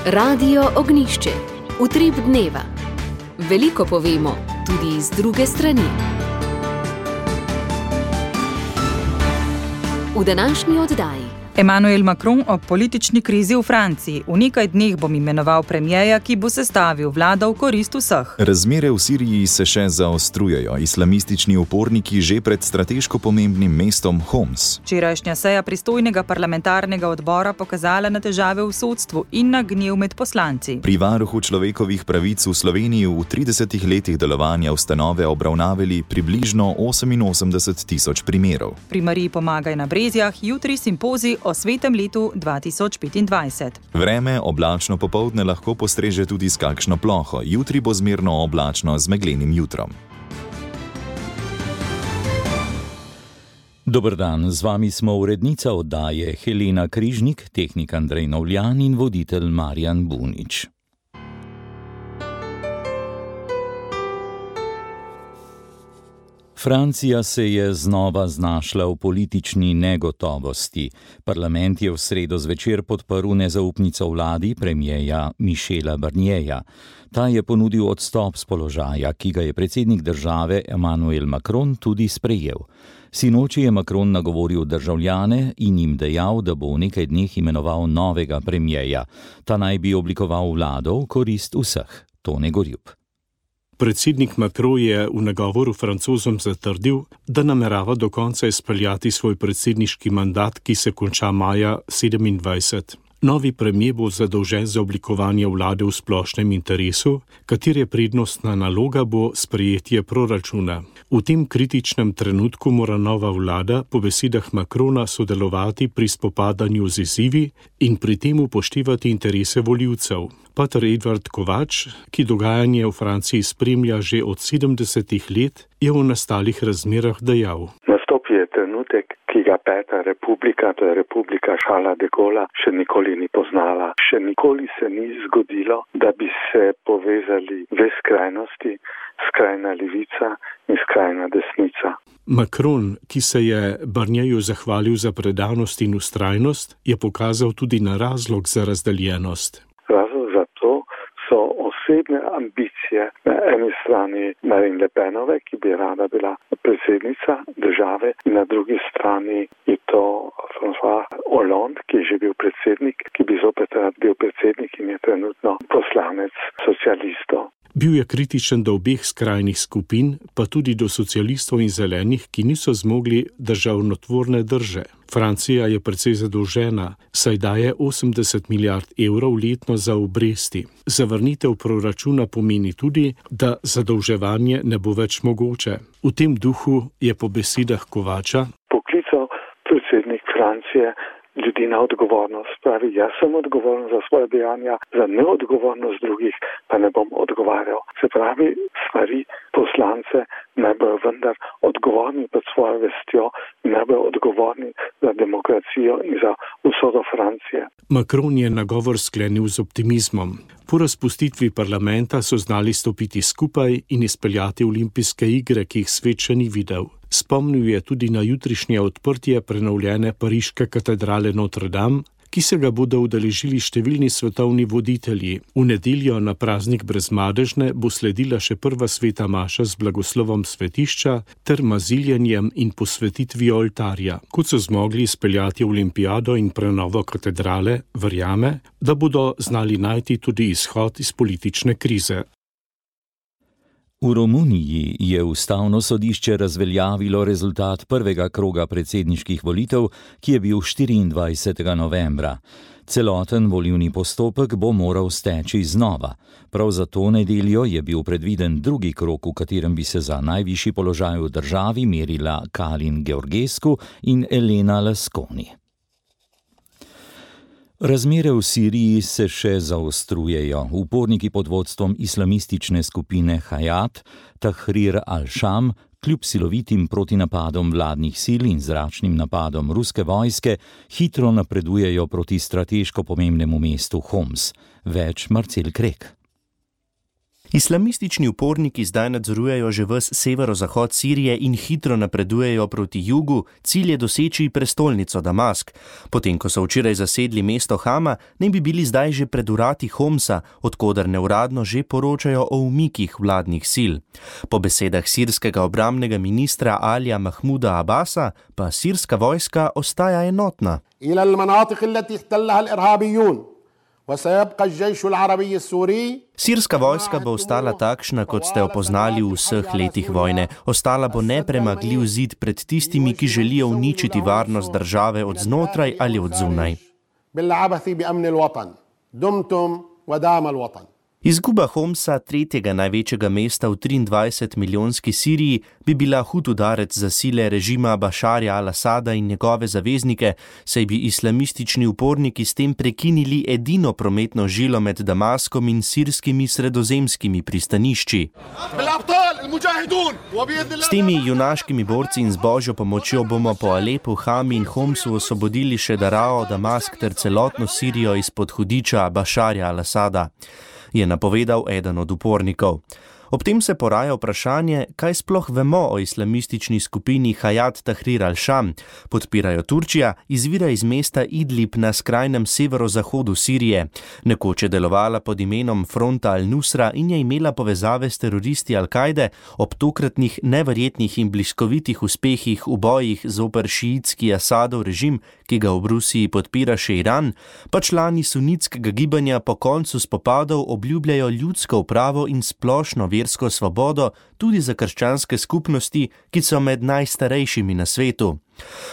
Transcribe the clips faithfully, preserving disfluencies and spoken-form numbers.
Radio Ognjišče. Utrip dneva. Veliko povemo, tudi iz druge strani. V današnji oddaji. Emmanuel Macron o politični krizi v Franciji. V nekaj dneh bom imenoval premierja, ki bo sestavil vlado v korist vseh. Razmere v Siriji se še zaostrujejo. Islamistični uporniki že pred strateško pomembnim mestom Homs. Včerajšnja seja pristojnega parlamentarnega odbora pokazala na težave v sodstvu in na gnev med poslanci. Pri varuhu človekovih pravic v Sloveniji v tridesetih letih delovanja ustanove obravnavali približno oseminosemdeset tisoč primerov. Pri Mariji Pomagaj na Brezjah jutri simpozij o svetem letu dva tisoč petindvajset. Vreme oblačno popoldne lahko postreže tudi s kakšno ploho. Jutri bo zmerno oblačno z meglenim jutrom. Dober dan, z vami smo urednica oddaje Helena Križnik, tehnik Andrej Novljan in voditelj Marjan Bunič. Francija se je znova znašla v politični negotovosti. Parlament je v sredo zvečer podprl nezaupnico vladi premierja Michela Barnierja. Ta je ponudil odstop z položaja, ki ga je predsednik države Emmanuel Macron tudi sprejel. Sinoči je Macron nagovoril državljane in jim dejal, da bo v nekaj dneh imenoval novega premierja. Ta naj bi oblikoval vlado v korist vseh. Tone Gorjup. Predsednik Macron je v nagovoru Francozom zatrdil, da namerava do konca izpeljati svoj predsedniški mandat, ki se konča maja sedemindvajset. Novi premier bo zadolžen za oblikovanje vlade v splošnem interesu, katere prednostna naloga bo sprejetje proračuna. V tem kritičnem trenutku mora nova vlada po besedah Macrona sodelovati pri spopadanju z izzivi in pri tem upoštevati interese volivcev. Pater Edvard Kovač, ki dogajanje v Franciji spremlja že od sedemdesetih let, je v nastalih razmerah dejal. Nastop je trenutek, ki ga Peta republika, to je republika Charlesa de Gaulla, še nikoli ni poznala. Še nikoli se ni zgodilo, da bi se povezali dve skrajnosti, skrajna levica in skrajna desnica. Macron, ki se je Barnierju zahvalil za predanost in vztrajnost, je pokazal tudi na razlog za razdeljenost. Razlog za to so osebne ambicije na eni strani Marine Le Penove, ki bi rada bila predsednica države, in na drugi strani je to François Hollande, ki je že bil predsednik, ki bi zopet rad bil predsednik in je trenutno poslanec socialistov. Bil je kritičen do obeh skrajnih skupin, pa tudi do socialistov in zelenih, ki niso zmogli državnotvorne drže. Francija je precej zadolžena, saj daje osemdeset milijard evrov letno za obresti. Zavrnitev proračuna pomeni tudi, da zadolževanje ne bo več mogoče. V tem duhu je po besedah Kovača poklical predsednik Francije ljudi na odgovornost. Pravi, jaz sem odgovoren za svoje dejanja, za neodgovornost drugih pa ne bom odgovarjal. Se pravi, stvari poslance naj bojo vendar odgovorni pred svojo vestjo in naj bojo odgovorni za demokracijo in za usodo Francije. Macron je nagovor sklenil z optimizmom. Po razpustitvi parlamenta so znali stopiti skupaj in izpeljati olimpijske igre, ki jih svet še ni videl. Spomnil je tudi na jutrišnje odprtje prenovljene pariške katedrale Notre Dame, ki se ga bodo udeležili številni svetovni voditelji. V nedeljo na praznik Brezmadežne bo sledila še prva sveta maša z blagoslovom svetišča ter maziljenjem in posvetitvijo oltarja. Kot so zmogli izpeljati olimpijado in prenovo katedrale, verjame, da bodo znali najti tudi izhod iz politične krize. V Romuniji je ustavno sodišče razveljavilo rezultat prvega kroga predsedniških volitev, ki je bil štiriindvajsetega novembra. Celoten volilni postopek bo moral steči znova. Prav za to nedeljo je bil predviden drugi krog, v katerem bi se za najvišji položaj v državi merila Kalin Georgescu in Elena Lasconi. Razmere v Siriji se še zaostrujejo. Uporniki pod vodstvom islamistične skupine Hayat Tahrir al-Sham kljub silovitim protinapadom vladnih sil in zračnim napadom ruske vojske hitro napredujejo proti strateško pomembnemu mestu Homs. Več Marcel Krek. Islamistični uporniki zdaj nadzorujejo že ves severozahod Sirije in hitro napredujejo proti jugu, cilj je doseči prestolnico Damask. Potem, ko so včeraj zasedli mesto Hama, naj bi bili zdaj že pred vrati Homsa, odkoder neuradno že poročajo o umikih vladnih sil. Po besedah sirskega obrambnega ministra Alija Mahmuda Abasa pa sirska vojska ostaja enotna. Sirska vojska bo ostala takšna, kot ste jo poznali v vseh letih vojne. Ostala bo nepremagljiv zid pred tistimi, ki želijo uničiti varnost države od znotraj ali od zunaj. Izguba Homsa, tretjega največjega mesta v triindvajset milijonski Siriji, bi bila hud udarec za sile režima Bašarja al-Asada in njegove zaveznike, saj bi islamistični uporniki s tem prekinili edino prometno žilo med Damaskom in sirskimi sredozemskimi pristanišči. S temi junaškimi borci in z božjo pomočjo bomo po Alepu, Hami in Homsu osvobodili še Darao, Damask ter celotno Sirijo izpod hudiča Bašarja al-Asada, je napovedal eden od upornikov. Ob tem se poraja vprašanje, kaj sploh vemo o islamistični skupini Hayat Tahrir al-Sham. Podpirajo Turčija, izvira iz mesta Idlib na skrajnem severozahodu Sirije. Nekoč je delovala pod imenom Fronta al-Nusra in je imela povezave s teroristi Al-Kaide. Ob tokratnih neverjetnih in bliskovitih uspehih v bojih zoper šiitski Asadov režim, ki ga v Rusiji podpira še Iran, pa člani sunitskega gibanja po koncu spopadov obljubljajo ljudsko upravo in splošno versko svobodo tudi za krščanske skupnosti, ki so med najstarejšimi na svetu.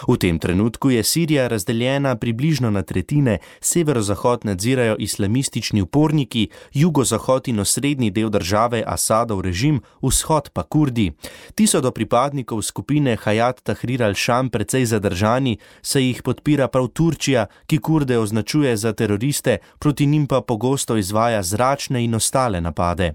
V tem trenutku je Sirija razdeljena približno na tretjine, severozahod nadzirajo islamistični uporniki, jugozahod in osrednji del države Asadov režim, vzhod pa Kurdi. Ti so do pripadnikov skupine Hayat Tahrir al-Sham precej zadržani, saj jih podpira prav Turčija, ki Kurde označuje za teroriste, proti njim pa pogosto izvaja zračne in ostale napade.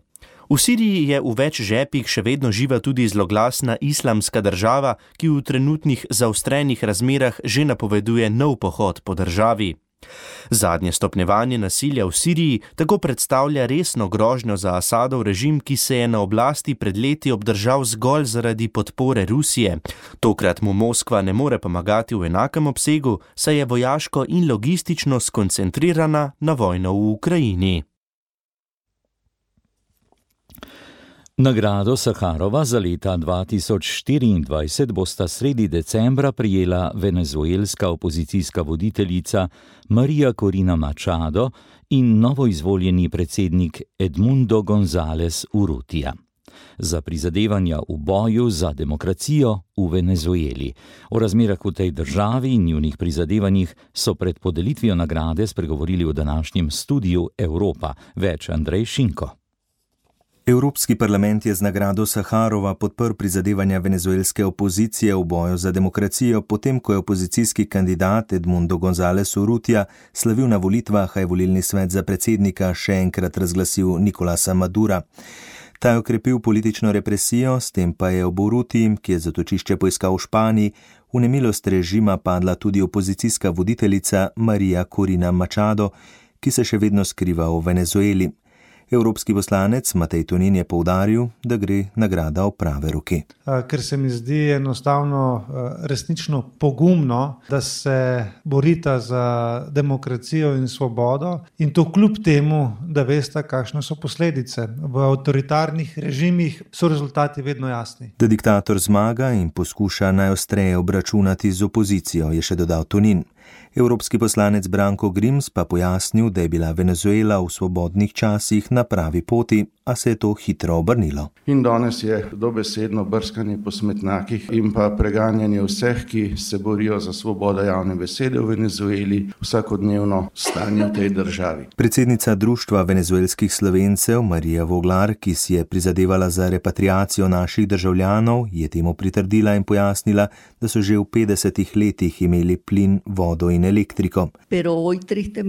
V Siriji je v več žepih še vedno živa tudi zloglasna islamska država, ki v trenutnih zaostrenih razmerah že napoveduje nov pohod po državi. Zadnje stopnjevanje nasilja v Siriji tako predstavlja resno grožnjo za Asadov režim, ki se je na oblasti pred leti obdržal zgolj zaradi podpore Rusije. Tokrat mu Moskva ne more pomagati v enakem obsegu, saj je vojaško in logistično skoncentrirana na vojno v Ukrajini. Nagrado Saharova za leta dva tisoč štiriindvajset bosta sredi decembra prijela venezuelska opozicijska voditeljica Maria Corina Machado in novoizvoljeni predsednik Edmundo González Urrutia za prizadevanja v boju za demokracijo v Venezueli. O razmerah v tej državi in njunih prizadevanjih so pred podelitvijo nagrade spregovorili v današnjem studiu Evropa. Več Andrej Šinko. Evropski parlament je z nagrado Saharova podprl prizadevanja venezuelske opozicije v boju za demokracijo, potem ko je opozicijski kandidat Edmundo González Urrutia slavil na volitvah, a je volilni svet za predsednika še enkrat razglasil Nicolasa Madura. Ta je okrepil politično represijo, s tem pa je ob Urrutiji, ki je zatočišče poiskal v Španiji, v nemilost režima padla tudi opozicijska voditeljica Maria Corina Machado, ki se še vedno skriva v Venezueli. Evropski poslanec Matej Tonin je poudaril, da gre nagrada v prave roke. Ker se mi zdi enostavno resnično pogumno, da se borita za demokracijo in svobodo in to kljub temu, da veste, kakšne so posledice. V avtoritarnih režimih so rezultati vedno jasni. Da diktator zmaga in poskuša najostreje obračunati z opozicijo, je še dodal Tonin. Evropski poslanec Branko Grims pa pojasnil, da je bila Venezuela v svobodnih časih na pravi poti, a se je to hitro obrnilo. In danes je dobesedno brskanje po smetnjakih in pa preganjanje vseh, ki se borijo za svobodo javne besede v Venezueli, vsakodnevno stanje v tej državi. Predsednica Društva venezuelskih Slovencev Marija Voglar, ki si je prizadevala za repatriacijo naših državljanov, je temu pritrdila in pojasnila, da so že v petdesetih letih imeli plin, vodo in elektriko.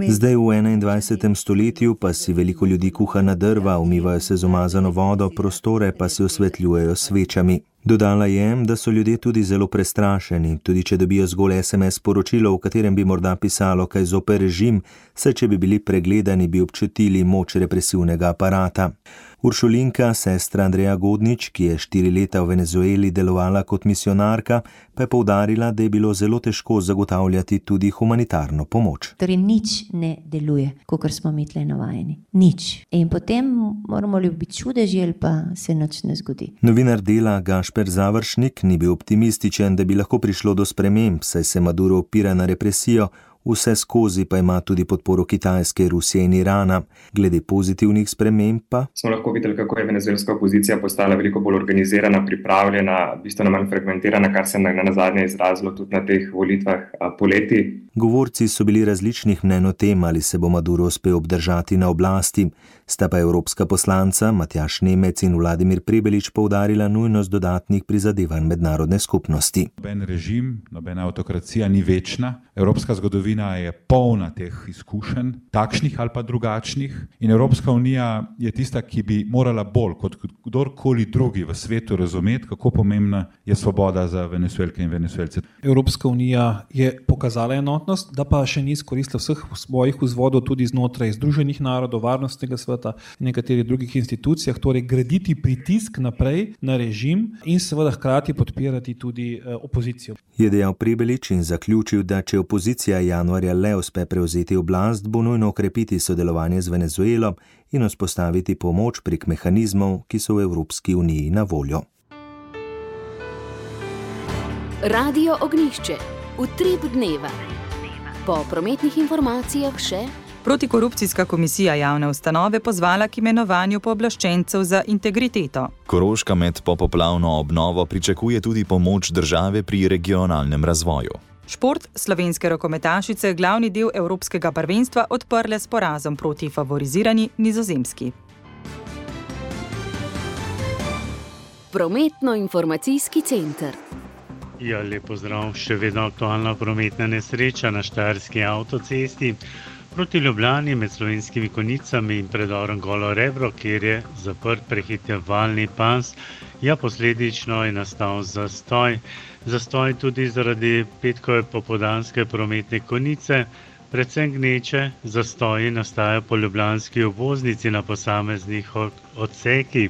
Zdaj v enaindvajsetem stoletju pa si veliko ljudi kuha na drva, umivajo se z umazano vodo, prostore pa si osvetljujejo svečami. Dodala je, da so ljudje tudi zelo prestrašeni, tudi če dobijo zgolj es em es sporočilo, v katerem bi morda pisalo kaj zoper režim, saj če bi bili pregledani, bi občutili moč represivnega aparata. Uršulinka, sestra Andreja Godnič, ki je štiri leta v Venezueli delovala kot misionarka, pa je poudarila, da je bilo zelo težko zagotavljati tudi humanitarno pomoč. Torej nič ne deluje, kakor smo mi tle navajeni. Nič. In potem moramo ljubiti čudeži, ali pa se nič ne zgodi. Novinar Dela Gašper Završnik ni bil optimističen, da bi lahko prišlo do sprememb, saj se Maduro opira na represijo, vse skozi pa ima tudi podporo Kitajske, Rusije in Irana. Glede pozitivnih sprememb pa smo lahko videli, kako je venezuelska opozicija postala veliko bolj organizirana, pripravljena, bistveno manj fragmentirana, kar se je nazadnje izrazilo tudi na teh volitvah poleti. Govorci so bili različnih mnenj o tem, ali se bo Maduro uspel obdržati na oblasti. Sta pa evropska poslanca Matjaž Nemec in Vladimir Prebelič poudarila nujnost dodatnih prizadevanj mednarodne skupnosti. Noben režim, nobena avtokracija ni večna. Evropska zgodovina je polna teh izkušenj, takšnih ali pa drugačnih. In Evropska unija je tista, ki bi morala bolj kot kdorkoli drugi v svetu razumeti, kako pomembna je svoboda za Venezuelke in Venezuelce. Evropska unija je pokazala enotnost, da pa še ni izkoristila vseh svojih vzvodov tudi znotraj Združenih narodov, Varnostnega sveta in nekaterih drugih institucijah, torej graditi pritisk naprej na režim in seveda hkrati podpirati tudi eh, opozicijo. Je dejal Prebelič in zaključil, da če opozicija januarja le uspe prevzeti oblast, bo nujno okrepiti sodelovanje z Venezuelo in vzpostaviti pomoč prek mehanizmov, ki so v Evropski uniji na voljo. Radio Ognjišče. Utrip dneva. Po prometnih informacijah še Protikorupcijska komisija javne ustanove pozvala k imenovanju pooblaščencev za integriteto. Koroška med popoplavno obnovo pričakuje tudi pomoč države pri regionalnem razvoju. Šport, slovenske rokometašice glavni del evropskega prvenstva odprle s porazom proti favorizirani Nizozemski. Prometno-informacijski center. Ja, lep pozdrav, še vedno aktualna prometna nesreča na Štajerski avtocesti proti Ljubljani med Slovenskimi Konjicami in predorom Golo Rebro, kjer je zaprt prehitevalni pas. Ja, posledično je nastal zastoj. Zastoj tudi zaradi petkove popoldanske prometne konice, predvsem gneče. Zastoji nastajajo po ljubljanski obvoznici na posameznih odsekih.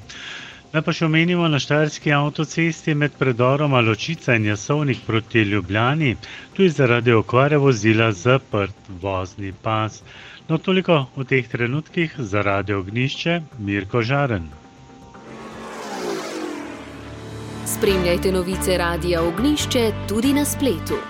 Naj pa še omenimo na Štajerski avtocesti med predoroma Ločica in Jasovnik proti Ljubljani, tu je zaradi okvare vozila zaprt vozni pas. No, toliko v teh trenutkih za Radio Ognjišče, Mirko Žaren. Spremljajte novice Radia Ognjišče tudi na spletu.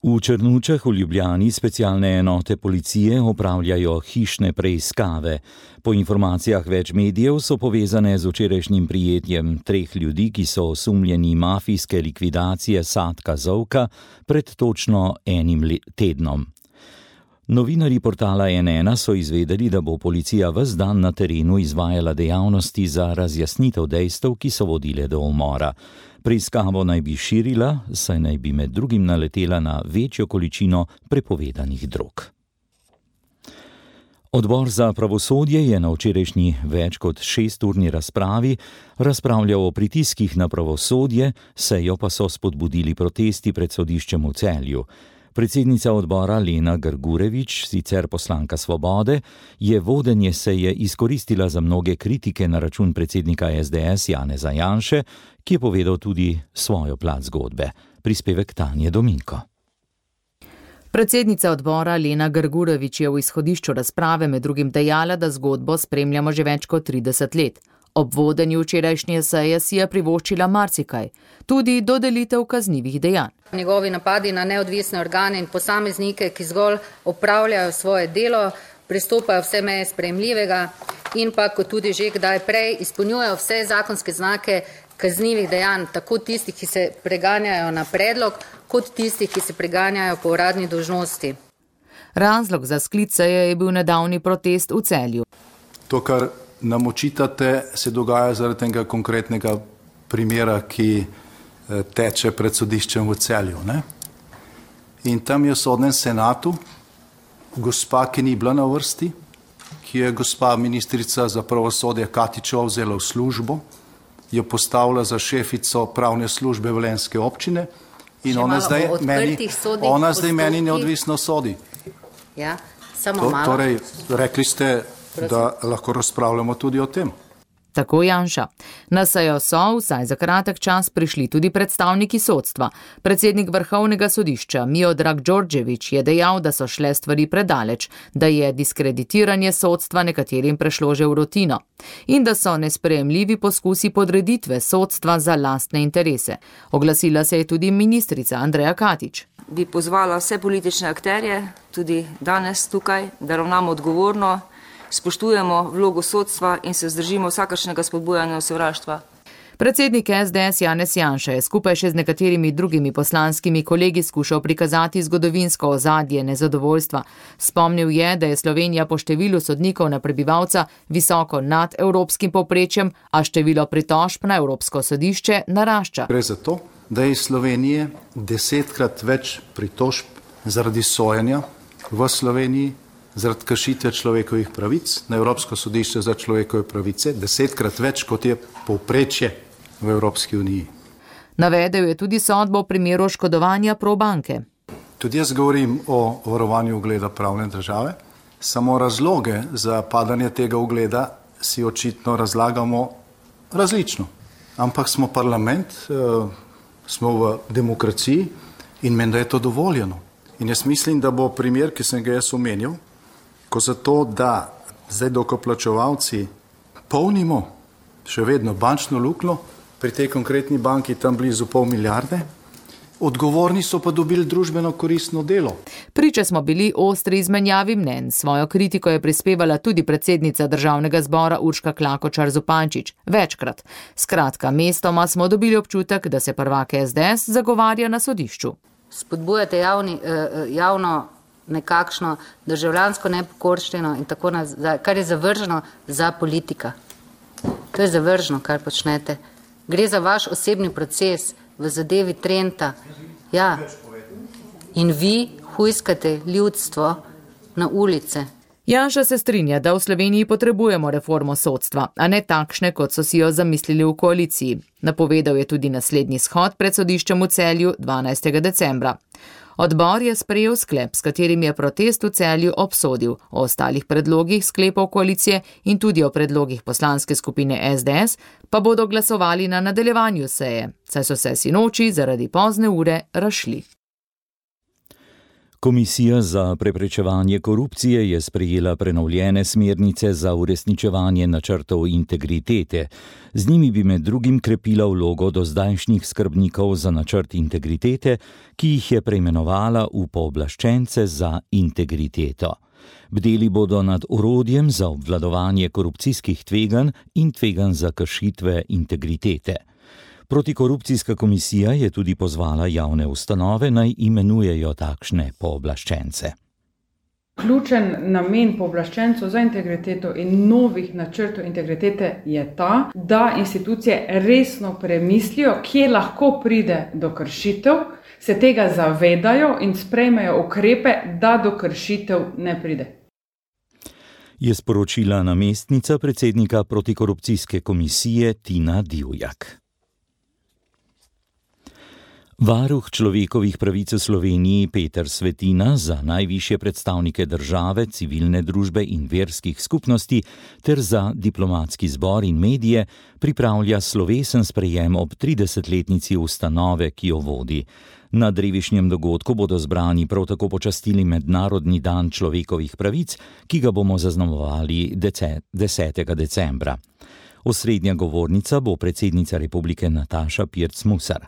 V Črnučah v Ljubljani specialne enote policije opravljajo hišne preiskave. Po informacijah več medijev so povezane z včerajšnjim prijetjem treh ljudi, ki so osumljeni mafijske likvidacije Satka Zovka pred točno enim tednom. Novinarji portala N ena so izvedeli, da bo policija ves dan na terenu izvajala dejavnosti za razjasnitev dejstev, ki so vodile do umora. Preiskavo naj bi širila, saj naj bi med drugim naletela na večjo količino prepovedanih drog. Odbor za pravosodje je na včerajšnji več kot šesturni razpravi razpravljal o pritiskih na pravosodje, sejo pa so spodbudili protesti pred sodiščem v Celju. Predsednica odbora Lena Grgurevič, sicer poslanka Svobode, je vodenje seje izkoristila za mnoge kritike na račun predsednika S D S Janeza Janše, ki je povedal tudi svojo plat zgodbe. Prispevek Tanje Dominko. Predsednica odbora Lena Grgurevič je v izhodišču razprave med drugim dejala, da zgodbo spremljamo že več kot trideset let. Ob vodenju včerajšnje seje si je privoščila marsikaj, tudi dodelitev kaznivih dejanj. Njegovi napadi na neodvisne organe in posameznike, ki zgolj opravljajo svoje delo, pristopajo vse meje sprejemljivega in pa, kot tudi že kdaj prej, izpolnjujejo vse zakonske znake kaznivih dejanj, tako tistih, ki se preganjajo na predlog, kot tistih, ki se preganjajo po uradni dolžnosti. Razlog za sklic seje je bil nedavni protest v Celju. To, kar nam očitate, se dogaja zaradi tega konkretnega primera, ki teče pred sodiščem v Celju. Ne? In tam je v sodnem senatu gospa, ki ni bila na vrsti, ki je gospa ministrica za pravosodje Katičeva vzela v službo, jo postavila za šefico pravne službe Velenjske občine in ona zdaj, meni, ona zdaj meni neodvisno sodi. Ja, samo to, malo. Torej, rekli ste, Prosim. Da lahko razpravljamo tudi o tem. Tako Janša. Na sejo so vsaj za kratek čas prišli tudi predstavniki sodstva. Predsednik Vrhovnega sodišča Miodrag Đorđević je dejal, da so šle stvari predaleč, da je diskreditiranje sodstva nekaterim prešlo že v rutino in da so nesprejemljivi poskusi podreditve sodstva za lastne interese. Oglasila se je tudi ministrica Andreja Katič. Bi pozvala vse politične akterje, tudi danes tukaj, da ravnamo odgovorno, spoštujemo vlogo sodstva in se vzdržimo vsakršnega spodbujanja sovraštva. Predsednik S D S Janez Janša je skupaj še z nekaterimi drugimi poslanskimi kolegi skušal prikazati zgodovinsko ozadje nezadovoljstva. Spomnil je, da je Slovenija po številu sodnikov na prebivalca visoko nad evropskim povprečjem, a število pritožb na Evropsko sodišče narašča. Gre za to, da je iz Slovenije desetkrat več pritožb zaradi sojenja v Sloveniji, zaradi kršitve človekovih pravic na Evropsko sodišče za človekove pravice, desetkrat več, kot je povprečje v Evropski uniji. Navedel je tudi sodbo v primeru oškodovanja Probanke. Tudi jaz govorim o varovanju ugleda pravne države, samo razloge za padanje tega ugleda si očitno razlagamo različno. Ampak smo parlament, smo v demokraciji in menda je to dovoljeno. In jaz mislim, da bo primer, ki sem ga jaz omenil, ko zato, da zdaj dokoplačevalci polnimo še vedno bančno luknjo, pri tej konkretni banki tam blizu pol milijarde, odgovorni so pa dobili družbeno koristno delo. Priče smo bili ostri izmenjavi mnenj. Svojo kritiko je prispevala tudi predsednica Državnega zbora Urška Klakočar Zupančič. Večkrat. Skratka, mestoma smo dobili občutek, da se prvak S D S zagovarja na sodišču. Spodbujate javni, javno nekakšno državljansko nepokorščino in tako nazaj, kar je zavrženo za politika. To je zavrženo, kar počnete. Gre za vaš osebni proces v zadevi Trenta. Ja. In vi hujskate ljudstvo na ulice. Janša se strinja, da v Sloveniji potrebujemo reformo sodstva, a ne takšne, kot so si jo zamislili v koaliciji. Napovedal je tudi naslednji shod pred sodiščem v Celju dvanajstega decembra. Odbor je sprejel sklep, s katerim je protest v Celju obsodil. O ostalih predlogih sklepov koalicije in tudi o predlogih poslanske skupine S D S pa bodo glasovali na nadaljevanju seje, saj so se sinoči zaradi pozne ure razšli. Komisija za preprečevanje korupcije je sprejela prenovljene smernice za uresničevanje načrtov integritete. Z njimi bi med drugim krepila vlogo dozdajšnjih skrbnikov za načrt integritete, ki jih je preimenovala v pooblaščence za integriteto. Bdeli bodo nad orodjem za obvladovanje korupcijskih tveganj in tveganj za kršitve integritete. Protikorupcijska komisija je tudi pozvala javne ustanove, naj imenujejo takšne pooblaščence. Ključen namen pooblaščencev za integriteto in novih načrtov integritete je ta, da institucije resno premislijo, kje lahko pride do kršitev, se tega zavedajo in sprejmejo ukrepe, da do kršitev ne pride. Je sporočila namestnica predsednika protikorupcijske komisije Tina Divjak. Varuh človekovih pravic v Sloveniji Peter Svetina za najvišje predstavnike države, civilne družbe in verskih skupnosti ter za diplomatski zbor in medije pripravlja slovesen sprejem ob tridesetletnici ustanove, ki jo vodi. Na drevišnjem dogodku bodo zbrani prav tako počastili Mednarodni dan človekovih pravic, ki ga bomo zaznamovali desetega decembra. Osrednja govornica bo predsednica republike Nataša Pirc Musar.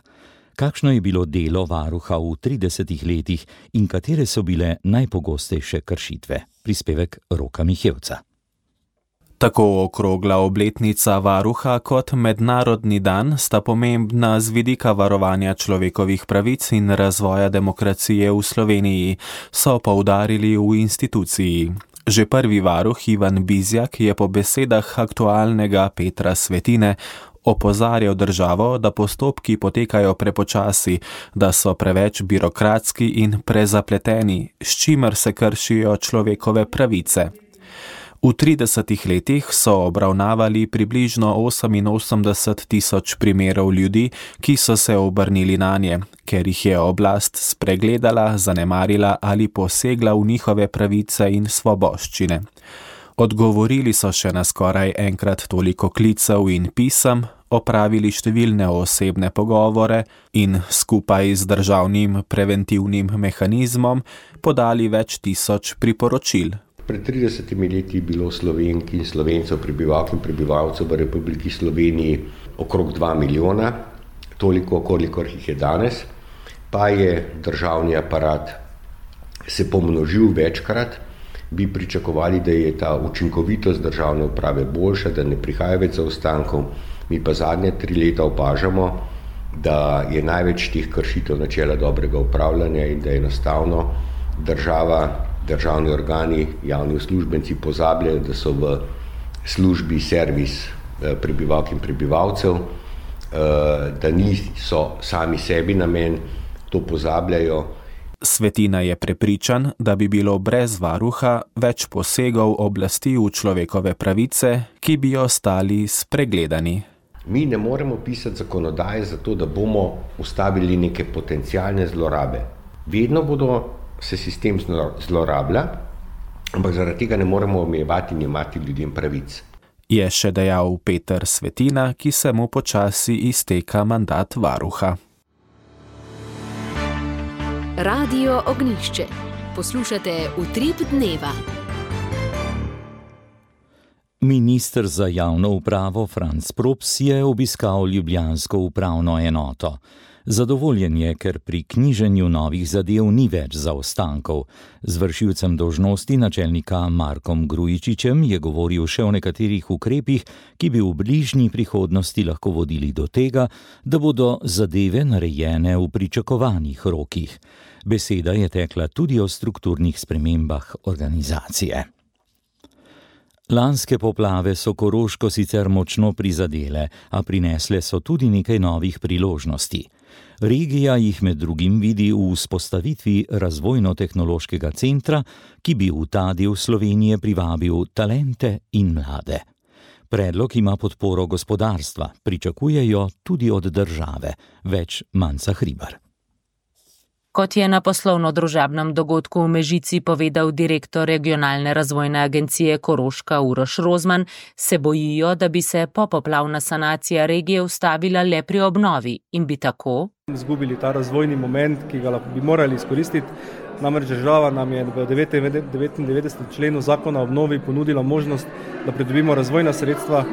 Kakšno je bilo delo varuha v tridesetih letih in katere so bile najpogostejše kršitve? Prispevek Roka Mihevca. Tako okrogla obletnica varuha kot Mednarodni dan sta pomembna z vidika varovanja človekovih pravic in razvoja demokracije v Sloveniji, so poudarili v instituciji. Že prvi varuh Ivan Bizjak je po besedah aktualnega Petra Svetine opozarjal državo, da postopki potekajo prepočasi, da so preveč birokratski in prezapleteni, s čimer se kršijo človekove pravice. V tridesetih letih so obravnavali približno oseminosemdeset tisoč primerov ljudi, ki so se obrnili nanje, ker jih je oblast spregledala, zanemarila ali posegla v njihove pravice in svoboščine. Odgovorili so še na skoraj enkrat toliko klicev in pisem, opravili številne osebne pogovore in skupaj z državnim preventivnim mehanizmom podali več tisoč priporočil. Pred tridesetimi leti je bilo Slovenk in Slovencev, prebivalk in prebivalcev v Republiki Sloveniji okrog dva milijona, toliko, kolikor jih je danes, pa je državni aparat se pomnožil večkrat, bi pričakovali, da je ta učinkovitost državne uprave boljša, da ne prihaja več zaostankov. Mi pa zadnje tri leta opažamo, da je največ teh kršitev načela dobrega upravljanja in da enostavno država, državni organi, javni uslužbenci pozabljajo, da so v službi servis prebivalk in prebivalcev, da niso sami sebi namen, to pozabljajo. Svetina je prepričan, da bi bilo brez varuha več posegov oblasti v človekove pravice, ki bi ostali spregledani. Mi ne moremo pisati zakonodaje zato, da bomo ustavili neke potencialne zlorabe. Vedno bodo se sistem zlorablja, ampak zaradi tega ne moremo omejevati in jemati ljudem pravic. Je še dejal Peter Svetina, ki se mu počasi izteka mandat varuha. Radio Ognjišče. Poslušate Utrip dneva. Minister za javno upravo Franc Props je obiskal ljubljansko upravno enoto. Zadovoljen je, ker pri knjiženju novih zadev ni več zaostankov. Z vršilcem dolžnosti načelnika Markom Grujičičem je govoril še o nekaterih ukrepih, ki bi v bližnji prihodnosti lahko vodili do tega, da bodo zadeve narejene v pričakovanih rokih. Beseda je tekla tudi o strukturnih spremembah organizacije. Lanske poplave so Koroško sicer močno prizadele, a prinesle so tudi nekaj novih priložnosti. Regija jih med drugim vidi v vzpostavitvi razvojno-tehnološkega centra, ki bi v ta del Slovenije privabil talente in mlade. Predlog ima podporo gospodarstva, pričakujejo tudi od države. Več Manca Hribar. Kot je na poslovno-družabnem dogodku v Mežici povedal direktor regionalne razvojne agencije Koroška Uroš Rozman, se bojijo, da bi se popoplavna sanacija regije ustavila le pri obnovi in bi tako izgubili ta razvojni moment, ki ga bi morali izkoristiti. Namreč država nam je v devetindevetdesetem členu zakona o obnovi ponudila možnost, da pridobimo razvojna sredstva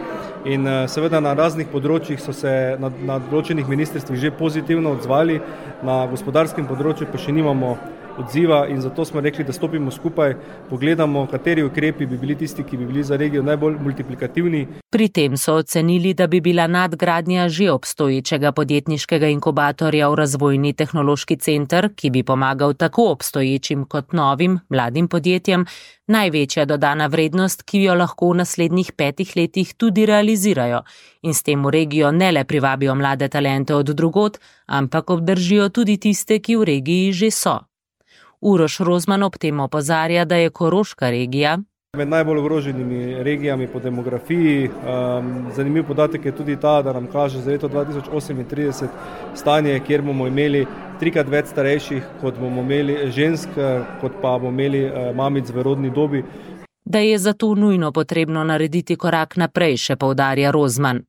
in seveda na raznih področjih so se na, na določenih ministrstvih že pozitivno odzvali, na gospodarskem področju pa še nimamo odziva in zato smo rekli, da stopimo skupaj, pogledamo, kateri ukrepi bi bili tisti, ki bi bili za regijo najbolj multiplikativni. Pri tem so ocenili, da bi bila nadgradnja že obstoječega podjetniškega inkubatorja v razvojni tehnološki center, ki bi pomagal tako obstoječim kot novim mladim podjetjem, največja dodana vrednost, ki jo lahko v naslednjih petih letih tudi realizirajo in s tem v regijo ne le privabijo mlade talente od drugod, ampak obdržijo tudi tiste, ki v regiji že so. Uroš Rozman ob tem opozarja, da je Koroška regija med najbolj ogroženimi regijami po demografiji. Um, zanimiv podatek je tudi ta, da nam kaže za leto dva tisoč osemintrideset stanje, kjer bomo imeli trikrat več starejših, kot bomo imeli žensk, kot pa bomo imeli uh, mamic v rodni dobi. Da je zato nujno potrebno narediti korak naprej, še poudarja Rozman.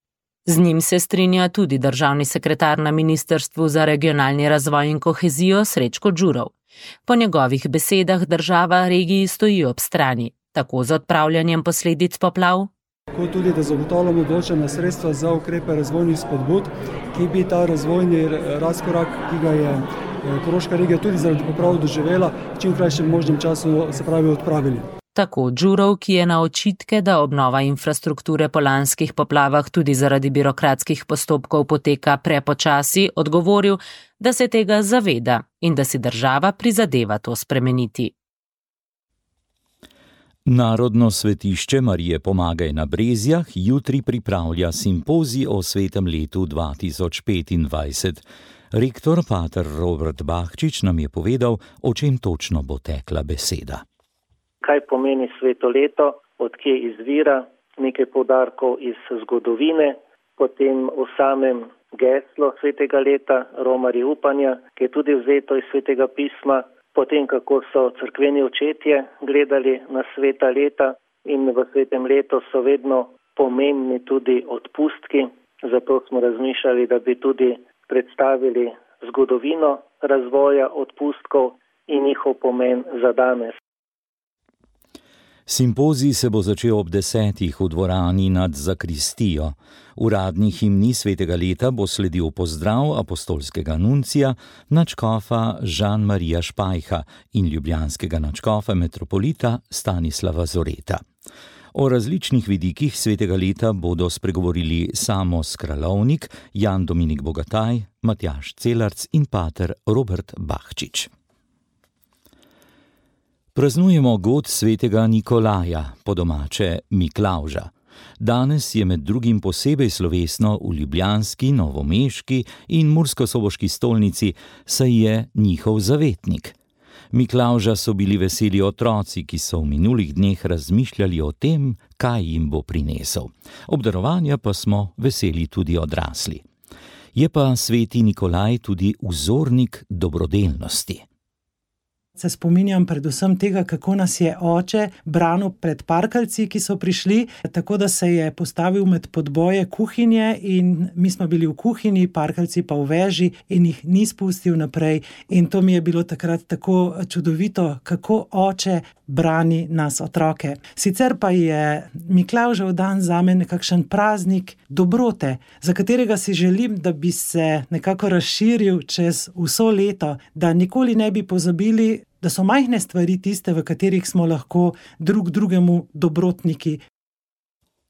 Z njim se strinja tudi državni sekretar na Ministrstvu za regionalni razvoj in kohezijo Srečko Đurov. Po njegovih besedah država regiji stoji ob strani, tako z odpravljanjem posledic poplav, kot tudi, da zagotavljamo določena sredstva za ukrepe razvojnih spodbud, ki bi ta razvojni razkorak, ki ga je Koroška regija tudi zaradi poplav doživela, v čim krajšem možnem času se pravi odpravili. Tako Đurov, ki je na očitke, da obnova infrastrukture po lanskih poplavah tudi zaradi birokratskih postopkov poteka prepočasi, odgovoril, da se tega zaveda in da si država prizadeva to spremeniti. Narodno svetišče Marije Pomagaj na Brezjah jutri pripravlja simpozij o svetem letu dva tisoč petindvajset. Rektor pater Robert Bahčič nam je povedal, o čem točno bo tekla beseda. Kaj pomeni sveto leto? odkje izvira, nekaj poudarkov iz zgodovine, potem o samem geslo svetega leta, Romari upanja, ki je tudi vzeto iz svetega pisma, potem kako so cerkveni očetje gledali na sveta leta in v svetem letu so vedno pomembni tudi odpustki, zato smo razmišljali, da bi tudi predstavili zgodovino razvoja odpustkov in njihov pomen za danes. Simpozij se bo začel ob desetih v dvorani nad zakristijo. Uradni himni svetega leta bo sledil pozdrav apostolskega nuncija, nadškofa Žan-Marija Špajha in ljubljanskega nadškofa metropolita Stanislava Zoreta. O različnih vidikih svetega leta bodo spregovorili Samo Skralovnik, Jan Dominik Bogataj, Matjaž Celarc in pater Robert Bahčič. Praznujemo god svetega Nikolaja, po domače Miklavža. Danes je med drugim posebej slovesno v ljubljanski, novomeški in murskosoboški stolnici, saj je njihov zavetnik. Miklavža so bili veseli otroci, ki so v minulih dneh razmišljali o tem, kaj jim bo prinesel. Obdarovanja pa smo veseli tudi odrasli. Je pa sveti Nikolaj tudi vzornik dobrodelnosti. Se spominjam predvsem tega, kako nas je oče branil pred parkalci, ki so prišli, tako da se je postavil med podboje kuhinje in mi smo bili v kuhinji, parkalci pa v veži in jih ni spustil naprej. In to mi je bilo takrat tako čudovito, kako oče brani nas otroke. Sicer pa je Miklavžev dan zame nekakšen praznik dobrote, za katerega si želim, da bi se nekako razširil čez vso leto, da nikoli ne bi pozabili, da so majhne stvari tiste, v katerih smo lahko drug drugemu dobrotniki.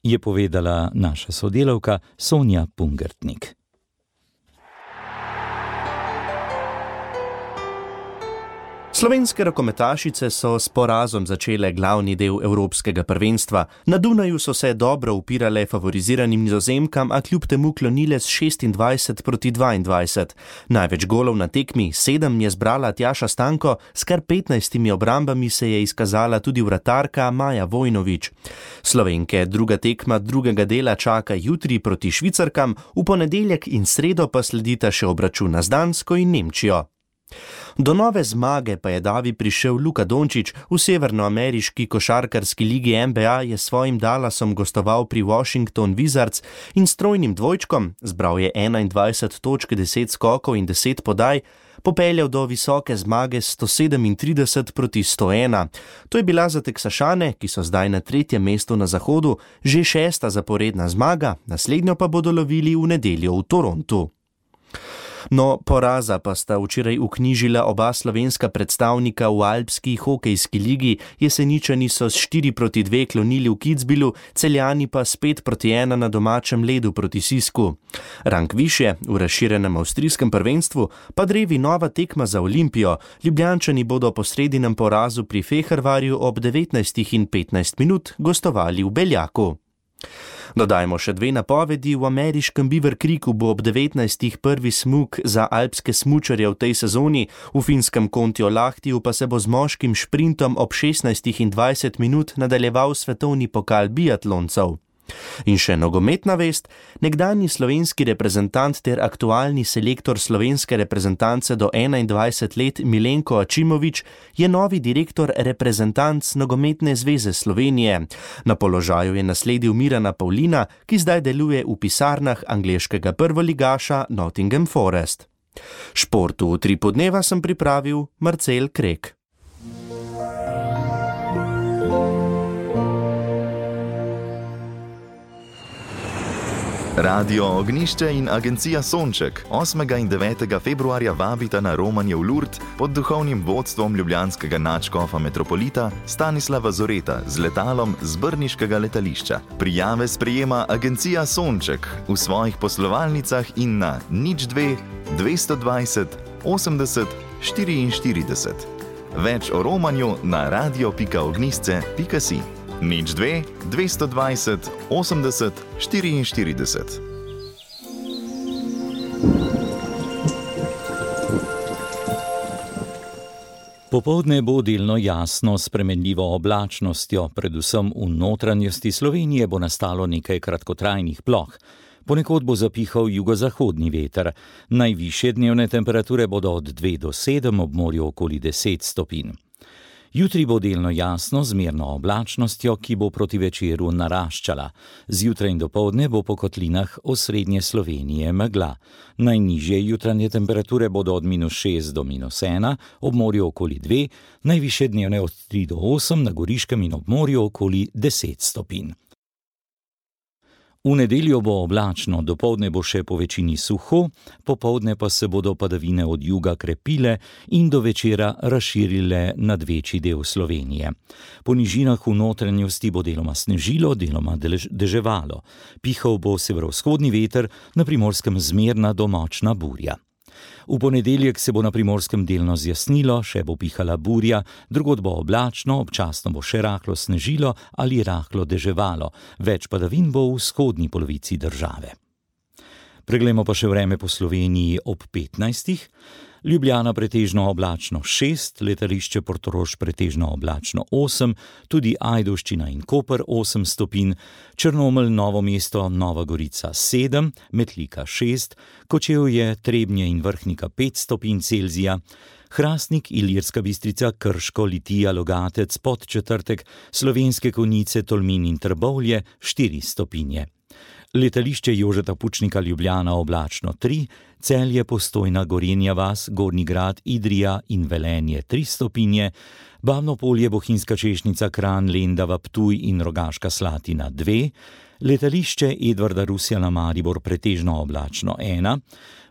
Je povedala naša sodelavka Sonja Pungertnik. Slovenske rokometašice so s porazom začele glavni del evropskega prvenstva. Na Dunaju so se dobro upirale favoriziranim Nizozemkam, a kljub temu klonile s šestindvajset proti dvaindvajset. Največ golov na tekmi, sedem, je zbrala Tjaša Stanko, s kar petnajstimi obrambami se je izkazala tudi vratarka Maja Vojnović. Slovenke druga tekma drugega dela čaka jutri proti Švicarkam, v ponedeljek in sredo pa sledita še obračuna z Dansko in Nemčijo. Do nove zmage pa je davi prišel Luka Dončić. V severnoameriški košarkarski ligi N B A je svojim Dallasom gostoval pri Washington Wizards in s trojnim dvojčkom, zbral je enaindvajset točk, deset skokov in deset podaj, popeljal do visoke zmage sto sedemintrideset proti sto ena. To je bila za Teksašane, ki so zdaj na tretjem mestu na zahodu, že šesta zaporedna zmaga, naslednjo pa bodo lovili v nedeljo v Torontu. No, poraza pa sta včeraj vknjižila oba slovenska predstavnika v alpski hokejski ligi. Jeseničani so s štiri proti dve klonili v Kitzbühelu, Celjani pa s pet proti ena na domačem ledu proti Sisku. Rang višje, v razširjenem avstrijskem prvenstvu, pa drevi nova tekma za Olimpijo. Ljubljančani bodo po sredinem porazu pri Fehervarju ob devetnajstih in petnajst minut gostovali v Beljaku. Dodajmo še dve napovedi. V ameriškem Beaver Creeku bo ob devetnajstih prvi smuk za alpske smučarje v tej sezoni, v finskem Kontiolahtiju pa se bo z moškim šprintom ob šestnajstih in dvajset minut nadaljeval svetovni pokal biatloncev. In še nogometna vest, nekdanji slovenski reprezentant ter aktualni selektor slovenske reprezentance do enaindvajset let Milenko Ačimović je novi direktor reprezentanc Nogometne zveze Slovenije. Na položaju je nasledil Mirana Pavlina, ki zdaj deluje v pisarnah angleškega prvoligaša Nottingham Forest. Športu v tri podneva sem pripravil Marcel Krek. Radio Ognišče in agencija Sonček osmega in devetega februarja vabita na romanje v Lourdes pod duhovnim vodstvom ljubljanskega nadškofa metropolita Stanislava Zoreta z letalom z brniškega letališča. Prijave sprejema agencija Sonček v svojih poslovalnicah in na nič dve dvesto dvajset osemdeset štiriinštirideset. Več o romanju na radio pika ognisce pika si. nič dve dvesto dvajset osemdeset štiriinštirideset. Popoldne bo delno jasno s spremenljivo oblačnostjo, predvsem v notranjosti Slovenije bo nastalo nekaj kratkotrajnih ploh. Ponekod bo zapihal jugozahodni veter. Najvišje dnevne temperature bodo od dve do sedem, ob morju okoli deset stopinj. Jutri bo delno jasno z zmerno oblačnostjo, ki bo proti večeru naraščala. Zjutraj in dopoldne bo po kotlinah osrednje Slovenije megla. Najnižje jutranje temperature bodo od minus šest do minus ena, ob morju okoli dve, najvišje dnevne od tri do osem, na Goriškem in ob morju okoli deset stopinj. V nedeljo bo oblačno, dopoldne bo še po večini suho, popoldne pa se bodo padavine od juga krepile in do večera razširile nad večji del Slovenije. Po nižinah v notranjosti bo deloma snežilo, deloma deževalo. Pihal bo severovzhodni veter, na Primorskem zmerna do močna burja. V ponedeljek se bo na Primorskem delno zjasnilo, še bo pihala burja, drugod bo oblačno, občasno bo še rahlo snežilo ali rahlo deževalo. Več padavin bo v vzhodni polovici države. Preglejmo pa še vreme po Sloveniji ob petnajstih. Ljubljana pretežno oblačno šest, letališče Portorož pretežno oblačno osem, tudi Ajdovščina in Koper osem stopinj, Črnomelj, Novo mesto, Nova Gorica sedem, Metlika šest, Kočevje, Trebnje in Vrhnika pet stopinj Celzija, Hrastnik, Ilirska Bistrica, Krško, Litija, Logatec, Podčetrtek, Slovenske Konjice, Tolmin in Trbovlje štiri stopinje. Letališče Jožeta Pučnika Ljubljana oblačno tri, Celje, Postojna, Gorenja vas, Gornji Grad, Idrija in Velenje tri stopinje, Bavno Polje, Bohinjska Češnica, Kranj, Lendava, Ptuj in Rogaška Slatina dve, letališče Edvarda Rusjana Maribor pretežno oblačno ena,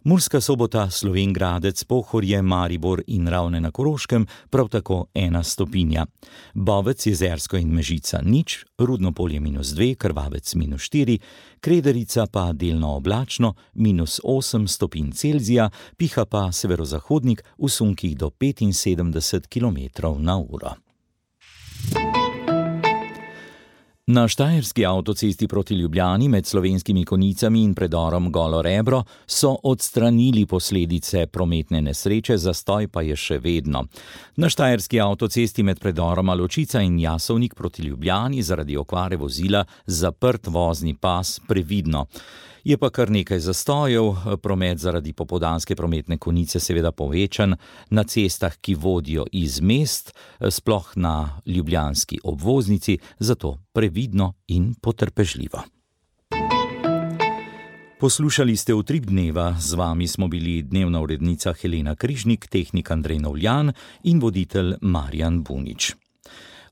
Murska Sobota, Slovenj Gradec, Pohorje, Maribor in Ravne na Koroškem prav tako ena stopinja. Bovec, Jezersko in Mežica nič, Rudno Polje minus dve, Krvavec minus štiri, Krederica pa delno oblačno minus osem stopinj Celzija, piha pa severozahodnik v sunkih do petinsedemdeset kilometrov na uro. Na štajerski avtocesti proti Ljubljani med Slovenskimi Konjicami in predorom Golo Rebro so odstranili posledice prometne nesreče, zastoj pa je še vedno. Na štajerski avtocesti med predoroma Ločica in Jasovnik proti Ljubljani zaradi okvare vozila zaprt vozni pas previdno. Je pa kar nekaj zastojev, promet zaradi popoldanske prometne konice seveda povečan na cestah, ki vodijo iz mest, sploh na ljubljanski obvoznici, zato previdno in potrpežljivo. Poslušali ste Utrip dneva, z vami smo bili dnevna urednica Helena Križnik, tehnik Andrej Novljan in voditelj Marjan Bunič.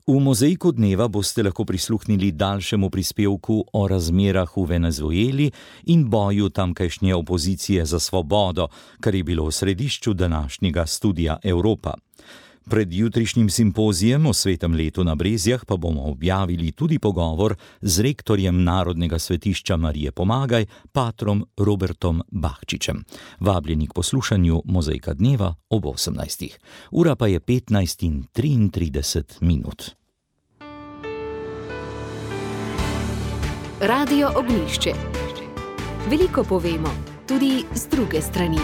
V mozaiku dneva boste lahko prisluhnili daljšemu prispevku o razmerah v Venezueli in boju tamkajšnje opozicije za svobodo, kar je bilo v središču današnjega Studia Evropa. Pred jutrišnjim simpozijem o svetem letu na Brezjah pa bomo objavili tudi pogovor z rektorjem Narodnega svetišča Marije Pomagaj, patrom Robertom Bahčičem. Vabljeni k poslušanju mozaika dneva ob osemnajstih. Ura pa je petnajst in triintrideset minut. Radio Ognjišče. Veliko povemo, tudi z druge strani.